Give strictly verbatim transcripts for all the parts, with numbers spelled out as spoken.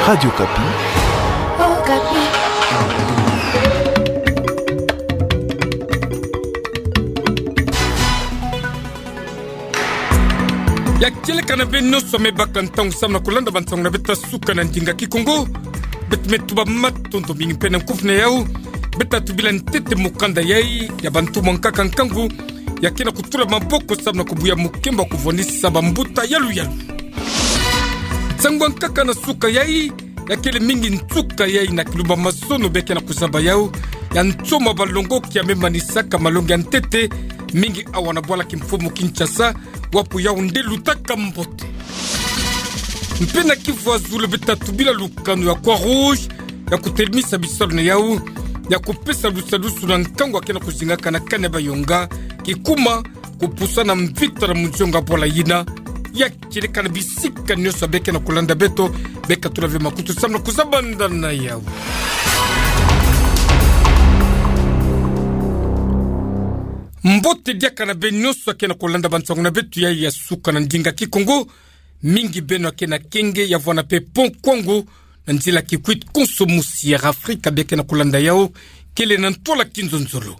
Radio Okapi. Okapi. Ya kieleka na beno nyonso me baka ntangu samu na kulanda bansango na beto ya suka na ndinga Kikongo. Beto me tuba matondo mingi mpe na kufune yawu. Beto tubila ntete mukanda yayi ya bantu mwa nkaka nkangu ya ke na kutula maboko samu na kubuya mukembo wa kuvwandisa bambuta yaluyalu. Nsangu ya nkaka na suka yayi, ya kele mingi nsuka yayi na kilumba mazono beke na kuzaba yawu, ya nsomo ya balongoki ya me manisaka malongi ya ntete, mingi awa na bwala kimfumu Kinshasa, wapu Yaoundé lutaka mbote. Mpe na kivu ya zulu beto tubila lukanu ya Croix-Rouge, ya kutelemisa bisalu na yawu, ya kupesa lusalusu na nkangu ya ke na kuzingaka na kani ya bayonga, kikuma, kupusana mvita na munzionga bwala yina, ya kieleka na bisika nyonso beke na kulanda beto, beka tula ve makutu samu na kuzabanda na yawu. Mbote diaka na beno nyonso ke na kulanda bansango na beto yayi ya suka na ndinga Kikongo, mingi beno ke na kenge ya vwanda mpe pont Kwango, na nzila Kikwit konso musi ya Afrika beke na kulanda yawu, kele na ntwala kinzonzolo.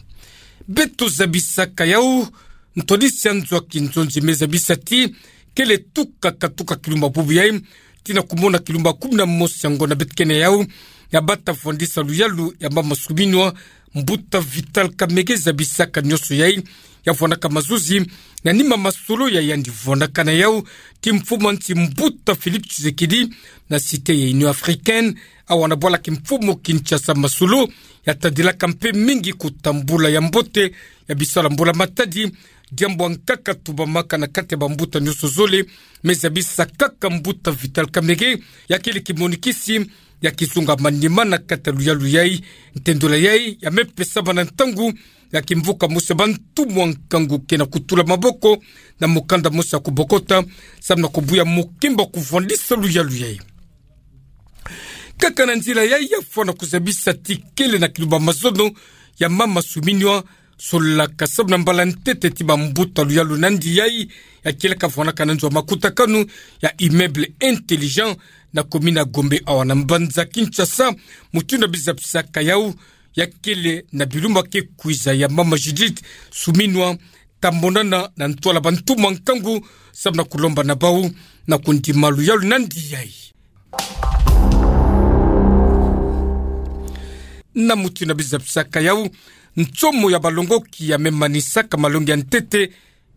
Beto zabisaka yawu, ntwadisi ya nzo ya kinzonzi me zabisa ti, kele tuka katuka kilumba bubu yayi, tii na kumona kilumba kumi na mosi ya ngonda beto ke na yawu, ya bata vwandisa luyalu ya mama suminwa, mbuta Vital Kamerhe zabisaka nyonso yayi, ya vwandaka mazuzi, na nima masolo ya yandi vwandaka na yawu, kimfumu ya nsi mbuta Félix Tshisekedi, na cité ya Union Africaine, awa na bwala kimfumu Kinshasa masolo, ya tadilaka mpe mingi kutambula ya mbote, ya bisalu ya mbula matadi, diambu ya nkaka tubamaka na kati ya bambuta nyonso zole, me zabisa kaka mbuta Vital Kamerhe, ya kele kimonikisi, ya kizunga manima na kati ya luyalu yayi, ntendola yayi, ya me pesama na ntangu, ya kimvuka mosi ya bantu mwa nkangu ke na kutula maboko, na mukanda mosi ya kubokota, samu na kubuya mukembo wa kuvwandisa luyalu yayi. Kaka na nzila yayi ya fwana kuzabisa ti kele na kilumba mazono ya mama suminwa, solaka samu na mbala ntete ti bambuta luyalu nandi yayi, ya kieleka vwandaka na nzo ya makutakanu ya Immeuble Intelligent, na commune ya Gombe awa na mbanza Kinshasa, mutindu ya bizabisaka yawu, ya kele na bilumbu ke kwiza ya mama Judith suminwa, ta monana na ntwala bantu mwa nkangu, samu na kulomba na bawu, na kundima luyalu nandi yayi. Na mutindu ya bizabisaka yawu, nsomo ya balongoki ya me manisaka malongi ya ntete,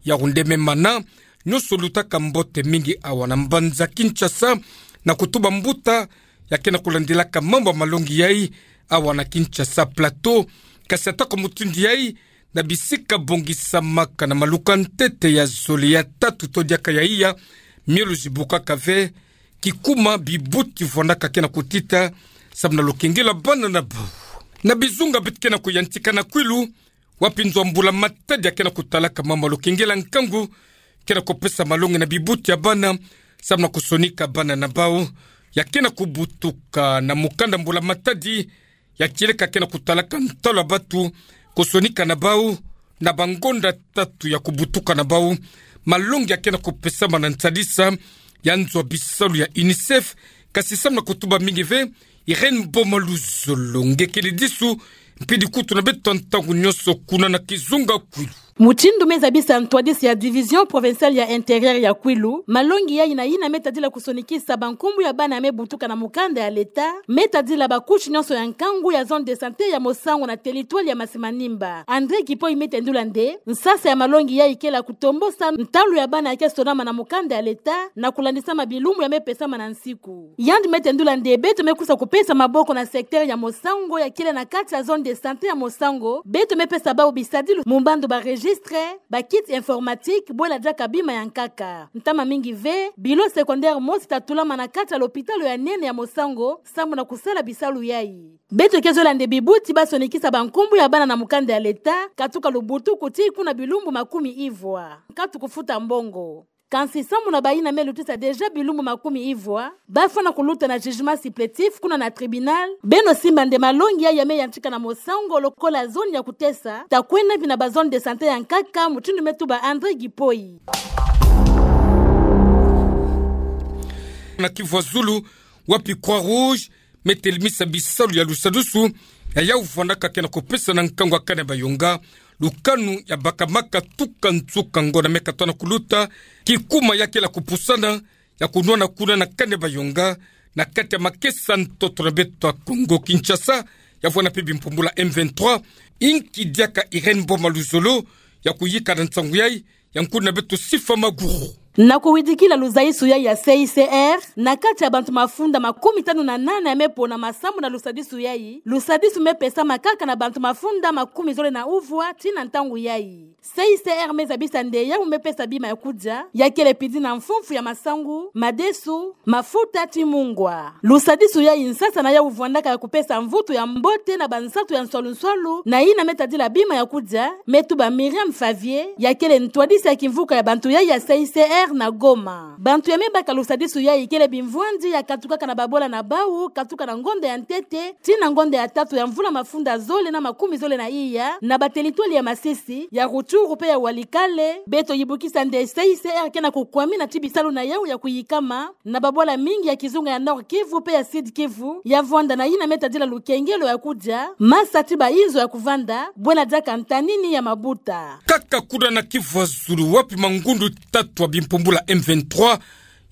Yaoundé me mana, nyonso lutaka mbote mingi awa na mbanza Kinshasa, na kutuba mbuta, ya ke na kulandilaka mambu ya malongi yayi, awa na Kinshasa Plateau, kasi atako mutindu yayi, na bisika bongisamaka na maluka ntete ya zole ya tatu to diaka ya iya, mielo zibukaka ve, kikuma bibuti vwandaka ke na kutita, samu na lukengelo ya bana na bawu. Na bizunga beto ke na kuyantika na Kwilu, wapi nzo ya mbula matadi ya ke na kutalaka mama lukengelo ya nkangu, ke na kupesa malongi na bibuti ya bana, samu na kusonika bana na bawu, ya ke na kubutuka na mukanda mbula matadi, ya kieleka ke na kutalaka ntalu ya batu, kusonika na bawu, na bangonda tatu ya kubutuka na bawu, malongi ya ke na kupesama na nsadisa ya nzo ya bisalu ya UNICEF, kasi samu na kutuba mingi ve, Irène Boma Luzolo nge kele disu, mpidi kutu na beto ntangu nyonso kuna na kizunga Kwilu. Mutindu me zabisa ntwadisi ya Division Provinciale ya Intérieur ya Kwilu, malongi yayi na yina me tadila kusonikisa bankumbu ya bana ya me butuka na mukanda ya leta, me tadila ba couche nyonso ya nkangu ya zone de santé ya Mosango na territoire ya Masi-Manimba. André Kipoyi me tendula nde, nsasa ya malongi yayi kele ya kutombosa ntalu ya bana ya ke sonama na mukanda ya leta, na kulandisama bilumbu ya me pesama na nsiku. Yandi me tendula nde beto me kusa kupesa maboko na secteur ya Mosango ya kele na kati ya zone de santé ya Mosango, beto me pesa bawu bisadilu mu mbandu ba registre, ba kit informatique, bwela diaka bima ya nkaka. Ntama mingi ve, bilo secondaire mosi ta tulama na kati ya lopitalo ya nene ya Mosango, samu na kusala bisalu yayi. Beto ke zola nde bibuti ba sonikisa bankumbu ya bana na mukanda ya leta, katuka lubutuku tii kuna bilumbu makumi ivwa. Nkatu kufuta mbongo. Kansi samu na bayina me lutisa déjà bilumbu makumi ivwa, ba fwana kuluta na jugement supplétif kuna na tribunal, beno simba nde malongi yayi ya me yantika na Mosango lokola zone ya kutesa, ta kwenda mpi na ba zone de santé ya nkaka, mutindu me tuba André Kipoyi. Na Kivu ya Zulu, wapi Croix-Rouge me telemisa bisalu ya lusadusu, ya yau vwandaka ke na kupesa na nkangu ya kane bayonga lukanu ya bakamaka tuka nsuka ngo na mekatwa na kuluta, kikuma ya kele kupusana, ya kunwana kuna na kane bayonga, na kati ya makesa ntoto na beto ya Congo Kinshasa, ya vwanda mpe bimpumbula M vingt-trois, inki diaka Irène Boma Luzolo, ya kuyika na nsangu yayi, ya nkuna beto Sifa Maguru. Na kuwidikila luzayisu yayi ya C I C R, na kati ya bantu mafunda makumi tanu na nana ya mepona masambu na lusadisu yayi, lusadisu mepesama kaka na bantu mafunda makumi zole na uvwa tii na ntangu yayi. C I C R mezabisa nde yawu mepesa bima ya kudia, ya kele pidi na mfumfu ya masangu, madesu, mafuta tii mungwa. Lusadisu yayi nsasa na yawu vwandaka ya kupesa mvutu ya mbote na bansatu ya nswalu-nswalu, na yina metadila bima ya kudia, me tuba Myriam Favier, ya kele ntwadisi ya kimvuka ya bantu yayi ya C I C R na Goma. Bantu ya mebaka lusadisu yayi kele bimvwandi ya katukaka na babola na bawu, katuka na ngonda ya ntete tii na ngonda ya tatu ya mvula mafunda zole na makumi zole na iya, na batelitwali ya Masisi, ya Rutshuru mpe ya Walikale. Beto yibukisa nde C I C R ke na kukwamina tii bisalu na yawu ya kuyikama na babola mingi ya kizunga ya Nord-Kivu mpe ya Sud-Kivu, ya vwanda na yina metadila lukengelo ya kudia, masa tii bayinzo ya kuvanda, bwena diaka ntanini ya mabuta. Kaka kuna na Kivu ya Zulu, wapi mangundu tatu ya bimpumbula M vingt-trois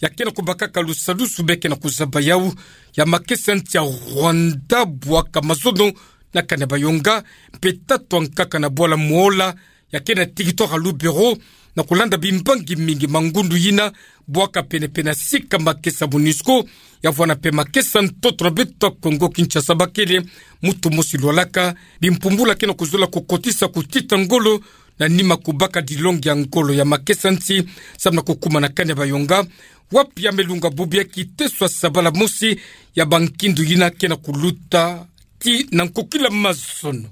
ya ke na kubakaka lusadusu, be ke na kuzaba yawu ya makesa nsi ya Rwanda, bwaka mazono na kane bayonga, mpe tatu ya nkaka na bwala Muhola, ya ke na territoire ya Lubero, na kulanda bimbangi mingi mangundu yina, bwaka pene-pene sika makesa MONUSCO, ya vwanda mpe makesa ntoto na beto ya Congo Kinshasa bakele mutu mosi lwalaka, bimpumbula ke na kuzola kukotisa kutita ngolo, na nima kubaka dilongi ya ngolo ya makesa nsi, samu na kukuma na kane bayonga, wapi ya melunga bubu ya kiteso ya sabala mosi ya bankindu yina ke na kuluta tii na nkokila mazono.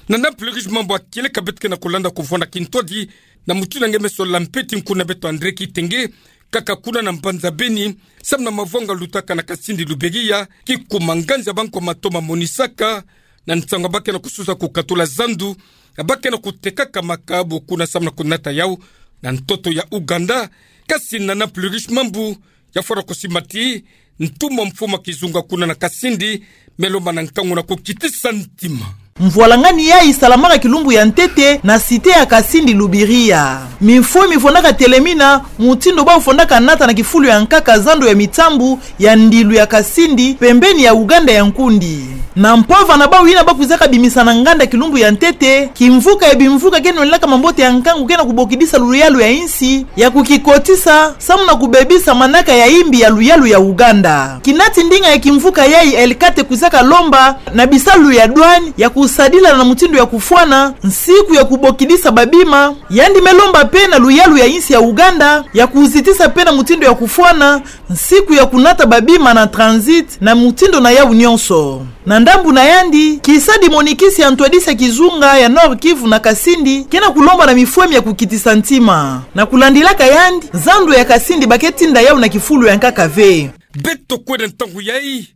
Na Nord-Kivu, mambu ya kieleka beto ke na kulanda kuvwanda kintwadi, na mutindu nge meso la mpeti nkuna beto André Kitenge, kaka kuna na mbanza Beni, samu na mavanga lutaka na Kasindi Luberiha, kikuma nganzi ya bankwa matoma monisaka, na nsangu ya ba ke na kususa kukatula zandu ya ba ke na kutekaka makayabu kuna samu na kunata yawu na ntoto ya Ouganda. Kasi na Nord-Kivu, mambu ya fwana kusimba tii ntumwa mfuma kizunga kuna na Kasindi, me lomba na nkangu na kukitisa ntima. Mvwalangani yayi salamaka kilumbu ya ntete na cité ya Kasindi Luberiha. Mifumi fwandaka telemina, mutindu bawu fwandaka nata na kifulu ya nkaka zandu ya mitambu ya ndilu ya Kasindi, pembeni ya Ouganda ya nkundi. Na mpova na bawu yina ba kwizaka bimisa na nganda kilumbu ya ntete, kimvuka ya bimvuka ke nwenlaka mambote ya nkangu ke na kubokidisa luyalu ya insi, ya kukikotisa, samu na kubebisa manaka ya imbi ya luyalu ya Ouganda. Kinati ndinga ya kimvuka yayi L quatre kwizaka lomba na bisalu ya douane ya kusadila na mutindu ya kufwana nsiku ya kubokidisa babima, yandi me lomba mpe na luyalu ya insi ya Ouganda ya kuzitisa mpe na mutindu ya kufwana nsiku ya kunata babima na transit na mutindu na yawu nyonso. Na ndambu na yandi, kisa dimonikisi ya ntwadisi ya kizunga ya Nord-Kivu na Kasindi ke na kulomba na mifumi ya kukitisa ntima. Na kulandilaka yandi, zandu ya Kasindi ba ke tinda yawu na kifulu ya nkaka ve. Beto kwenda ntangu yayi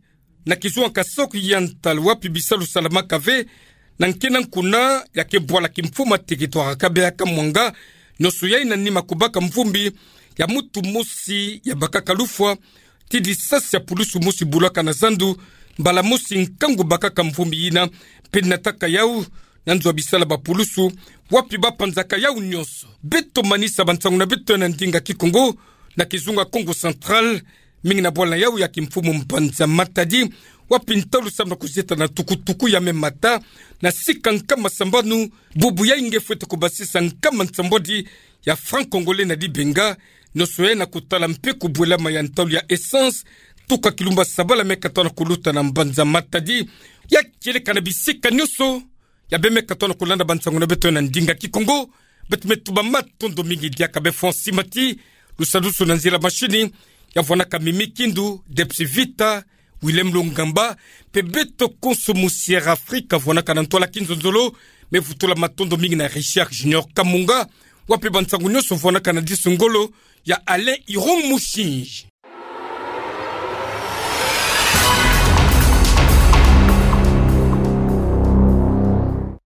na kizunga Kasaï Oriental, wapi bisalu salamaka ve na nkena nkuna ya ke bwala kimfuma territoire ya Kabeya Kamwanga, nyonso yayi na nima kubaka mvumbi ya mutu mosi ya bakaka lufwa tii disasi ya pulusu mosi bulaka na zandu, mbala mosi nkangu bakaka mvumbi yina, mpe nataka yawu na nzo ya bisala ba pulusu, wapi ba panzaka yawu nyonso. Beto manisa bansangu na beto na ndinga Kikongo na kizunga Kongo Central, mingi na bwala na yawu ya kimfumu mbanza Matadi, wapi ntalu samu na kuzieta na tukutuku ya me mata na sika nkama sambanu, bubu yayi nge fwete kubasisa nkama nsambwadi ya franc congolais na dibenga, nyonso yayi na kutala mpe kubwelama ya ntalu ya essence, tuka kilumbu ya sabala me kata na kuluta na mbanza Matadi. Ya kieleka na bisika nyonso ya beno me kata na kulanda bansangu na beto na ndinga Kikongo, beto me tuba matondo mingi diaka. Beno fwa nsi mati, lusadusu na nzila mashini, ya vwanaka Mimi Kindu, Debs Vita, Willem Longamba, mpe beto konso musi Air Afrique vwanaka na ntwala kinzonzolo. Me vutula matondo mingi na Richard Junior Kamunga, wapi bansangu nyonso vwanaka na disu ngolo ya Alain Irong Mushinji.